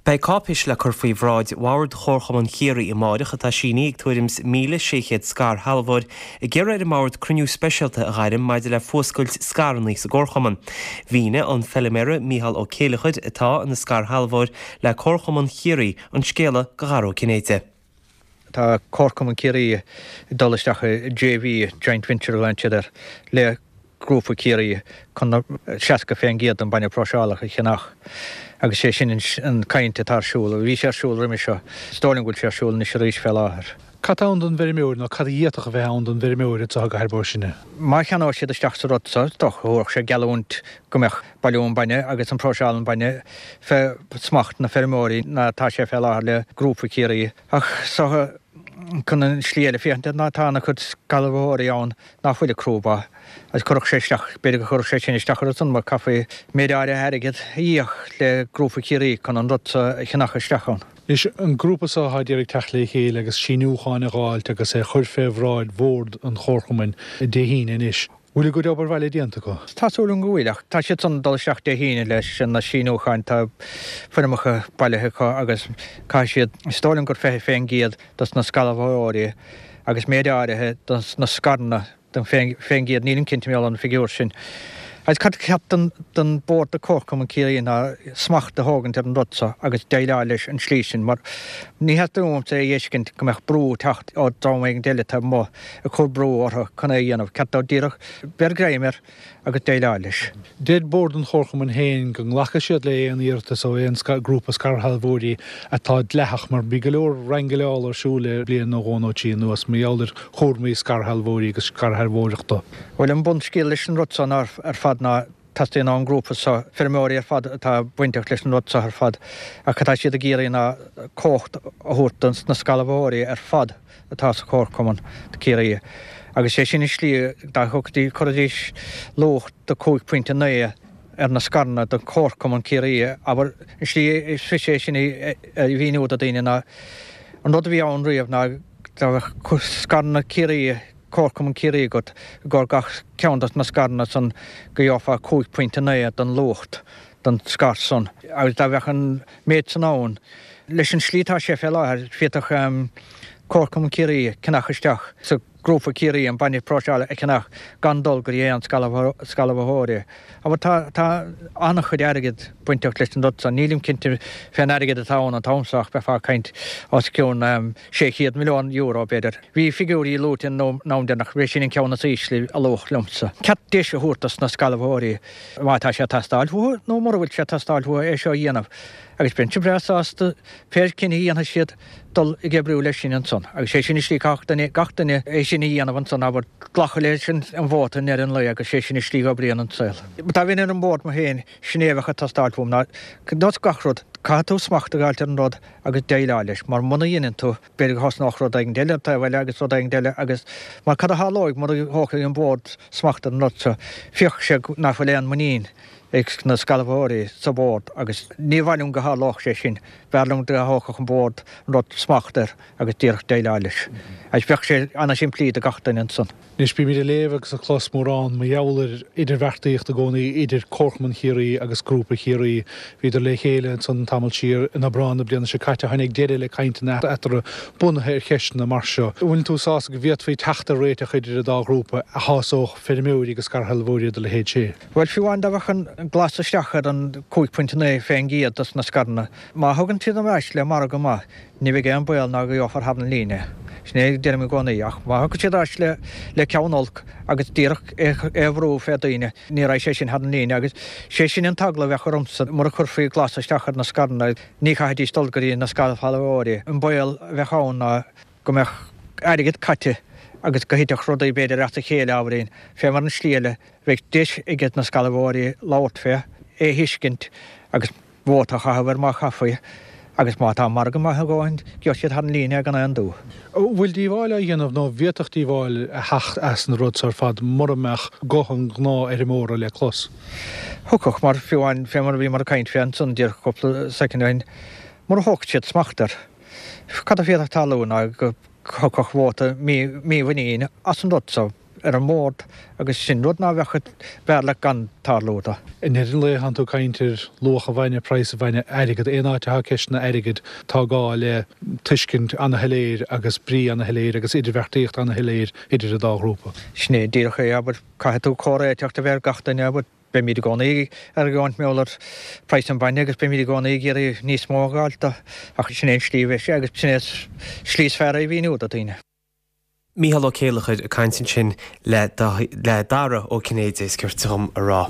Beidh cáipéis le cur faoi bhráid Bhord Chomharchumann Chiarraí amáireach atá sínithe ag tuairim 's 1,600 scairshealbhóir ag iarraidh ar an mBord cruinniú speisialta a ghairm maidir le fuascailt scaireanna sa gComharchumann. Mhínigh an feiliméara Mícheál Ó Céileachair, atá ina scairshealbhóir le Comharchumann Chiarraí, an scéala do Dhara Ó Cinnéide. Tá Comharchumann Chiarraí ag dul isteach i JV, Joint Venture a ghlaonn siad air, le Grúpa Chiarraí chun 60% den bainne próiseálach a cheannach agus sé sin an caint atá ar siúl. Bhí sé ar siúl roimhe seo. Is dóigh liom go bhfuil sé ar siúl anois arís fé láthair. Cad tá ann don bhfeirmeoir nó cad a d'fhéadfadh a bheith ann don bhfeirmeoir anseo i gCathair Bó Sine? Má cheannóidh siad isteach sa rud seo, is dócha, thabharfadh sé geallúint go mbeadh bailiú an bainne agus an próiseáil an bainne fé smacht na feirmeoirí ná atá sé fé láthair le Grúpa Chiarraí. Ach is dócha, chun an slí eile féachaint air ná tá ana chuid scairshealbhóirí ann ná fuil ag crú ba agus chuirfeadh sé isteach, b'fhéidir go chuirfeadh sé sin isteach orthu san mar caithfí méid áirithe airgead a íoc le Grúpa Chiarraí chun an rud so a cheannach isteach ann. Anois, an grúpa so atá ag iarraidh teacht le chéile agus síniúcháin a dh'fháilt agus é chur fé bhráid Bhord an Chomharchumainn Dé hAoine anois. Bhfuil a gcuid obair bhaile déanta acu? Tá súil agam go bhfuil, ach tá siad san ag dul isteach Dé hAoine leis na síniúcháin, tá foirmeacha bailithe acu agus caithfidh siad, is dóigh liom gur 20% dos na scairshealbhóirí agus méid áirithe dos na scaireanna den fén gcéad, nílim cinnte mar gheall ar an bhfigiúr sin. Agus cad ceart don don Bord de Comharchumann Ciarraí ná smacht a thógaint ar an rud so agus déileáil leis an slí sin mar ní theastaíonn uaimse a fheiscint go mbeadh brú ag teacht ó dream éigin eile taobh amuigh ag cur brú orthu chun é a dhéanamh. Ceart dóibh díreach beir greim air agus déileáil leis. Deir Bord an Chomharchumainn féin go nglacfaidh siad le aon iarratas ó aon grúpa scairshealbhóirí atá dleathach, mar bhí go leor raingilleála ar siúl le bliain nó dhó nó trí anuas mar gheall ar chúramaí scairshealbhóirí agus scairshealbhóireachta. Bhuel, an bunscéal leis an rud seo ná ar fad ná Teastaíonn ón ngrúpa seo, feirmeoirí ar fad atá bainteach leis an rud seo ar fad, ach cad tá siad ag iarraidh ná cumhacht a thabhairt do na scairshealbhóirí ar fad atá sa Chomharchumann Ciarraí. Agus sé sin an slí dá dtiocfaidís, chuirfidís luach de 5.9 ar na scaireanna do Chomharchumann Ciarraí. Abair, an slí is fusa é sin a mhíniú do daoine ná an rud a bhí ann riamh ná dá mbeadh scaireanna Ciarraí, Comharchumann Ciarraí agat i gcomhair gach ceann dos na scaireanna san go gheofá 5.9 den luacht don scair san. Agus dá bheadh an méid san ann, leis an slí atá sé fé láthair, féadfadh Comharchumann Ciarraí ceannach isteach sa Grúpa Ciarraí an bainne próiseála a cheannach gan dul go dtí aon scairshealbhóirí. Abair tá tá an-chuid airgid bainteach leis an rud san. Nílim cinnte fén airgead atá ann an t-am so ach bheifeá ag caint os cionn €600 milliún, b'fhéidir. Bhí figiúirí luaite an am deireanach, b'é sin an ceann is ísle a luadh liomsa. Ceart deis a thabhairt dos na scairshealbhóirí má tá sé ag teastáil uathu nó mura bhfuil sé ag teastáil uathu é seo a dhéanamh. Agus bheinnse breá sásta pé cinneadh a dhéanfaidh siad dul ag oibriú leis sin ansan. Agus sé sin an slí caithfidh duine, gach duine é sin a dhéanamh ansan, abair, glacadh leis an vóta i ndeireadh an lae agus sé sin an slí go oibríonn an saol. Dá bheinn ar an mbord mo féin, sin é a bheadh ag teastáil uaim ná nós gach rud, caithfidh tú smacht a dh'fháilt ar an rud agus déileáil leis, mar muna dheineann tú, b'fhéidir go thosnódh rud éigin eile ar taobh eile agus rud éigin eile agus mar cad a tharlóidh mura thógfaidh an bord smacht ar an rud seo, féachfaidh sé nach bhfuil aon muinín ag na scairshealbhóirí sa bhord agus ní mhaith liom go tharlódh sé sin. B'fhearr liom dá thógfadh an bord an rud smacht air agus díreach déileáil leis. Agus bheadh sé ana-shimplí do gach duine ansan. Anois bímid ag léamh agus ag clos mórán mar gheall ar idirbheartaíocht i gcónaí idir Comharchumann Chiarraí agus Grúpa Chiarraí. Bhíodar le chéile ansan tamall siar in Aibreán na bliana seo caite. Tháinig deireadh le cainteanna eatarthu bunaithe ar cheisteanna mar seo. An bhfuil tú sásta go bhféadfaí teacht ar réiteach idir an dá ghrúpa a shásódh feirmeoirí agus scairshealbhóirí dá leithéid sin? Bhuel, fiú amháin dá bheadh an glas isteach ar an 5.9% dos na scaireanna, má thugann siad ar ais le margadh maith, Ní bheidh aon baol ná go gheofar thar an líne é. Sin é a deirim i gcónaí. Ach má thiocfaidh siad ar ais le ceann olc agus díreach é a bhrú fé daoine, ní raghaidh sé sin thar an líne. Agus sé sin an t-eagla a bheadh ormsa, mura chuirfí glas isteach ar na scaireanna, ní chaithfidís dul go dtí na scairshealbhóirí. An baol a bheadh ann ná go mbeadh airgead caite agus go thitfeadh rudaí b'fhéidir as a chéile ábhairín, fé mar an slí eile, bheadh deis aige na scairshealbhóirí labhairt fé, é a thuiscint agus. vóta a chaitheamh air má chaithfí, agus má tá margadh maith a dhóthain, gheobhaidh siad thar an líne é gan aon dua. An bhfuil díobháil á dhéanamh nó an bhféadfadh díobháil a theacht as an rud seo ar fad mura mbeadh guth an ghnáthfheirmeora le clos? Thiocfadh, mar fiú amháin fé mar a bhíomar ag caint fé ansan díreach cúpla soicind ó shin, mura thógfadh siad smacht air, cad a féadfadh tarlú ná go thiocfadh vóta mímhuiníne as an rud seo. ar an mbord agus sin rud ná bheadh, b'fhearr leat gan tarlú do. I ndeireadh an lae tánn tú ag caint ar luach an bhainne, praghas an bhainne, airgead. Aon áit atá ceisteanna airgid tá gá le tuiscint ana-shoiléir agus brí ana-shoiléir agus idirbheartaíocht ana-shoiléir idir an dá ghrúpa. Sin é díreach é, abair, caithfidh tú comhréiteacht a bheith ar gach duine, abair. Beimid i gcónaí ag argóint mar gheall ar praghas an bhainne agus beimid i gcónaí ag iarraidh níos mó a dh'fháilt do, ach sin é an slí a bheidh sé agus sin é an slí is fearr é a mhíniú do dhaoine. Mícheál Ó Céileachair ag caint ansin le Dara Ó Cinnéide, is cirte dhom a rá.